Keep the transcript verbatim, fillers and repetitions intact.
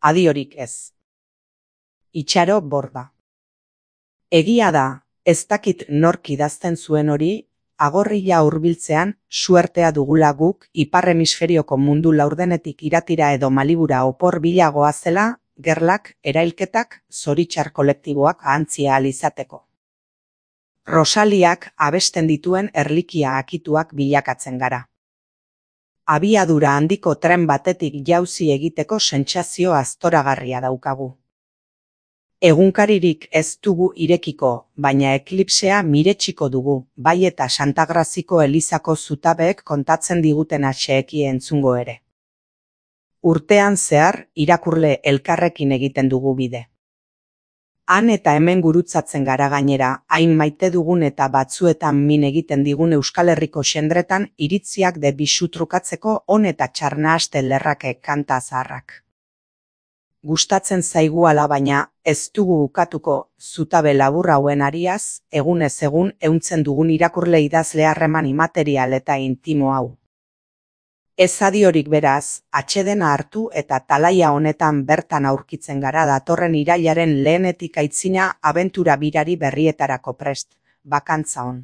adiorik ez. Itxaro Borda. Egia da, ez dakit nork idazten zuen hori, agorria hurbiltzean suertea dugula guk ipar hemisferioko mundu laurdenetik iratira edo Malibura opor bilagoa zela, gerlak, erailketak, zoritxar kolektiboak ahantzia ahal izateko. Rosaliak abesten dituen erlikia akituak bilakatzen gara. Abiadura handiko tren batetik jauzi egiteko sentsazio aztoragarria daukagu. Egunkaririk ez dugu irekiko, baina eklipsea miretsiko dugu, bai eta Santagraziko elizako zutabeek kontatzen diguten atxeeki entzungo ere. Urtean zehar, irakurle elkarrekin egiten dugu bide. Han eta hemen gurutzatzen gara gainera, hain maite dugun eta batzuetan min egiten digun Euskal Herriko xendretan iritziak de bisu trukatzeko on eta txarnahaste lerrake kanta zaharrak. Gustatzen zaigu ala baina, ez dugu ukatuko, zutabe labur hauen ariaz, egunez egun ehuntzen dugun irakurle idazle harreman imaterial eta intimo hau. Ez adiorik beraz, atsedena hartu eta talaia honetan bertan aurkitzen gara datorren irailaren lehenetik aitzina abentura birari berrietarako prest, bakantza on.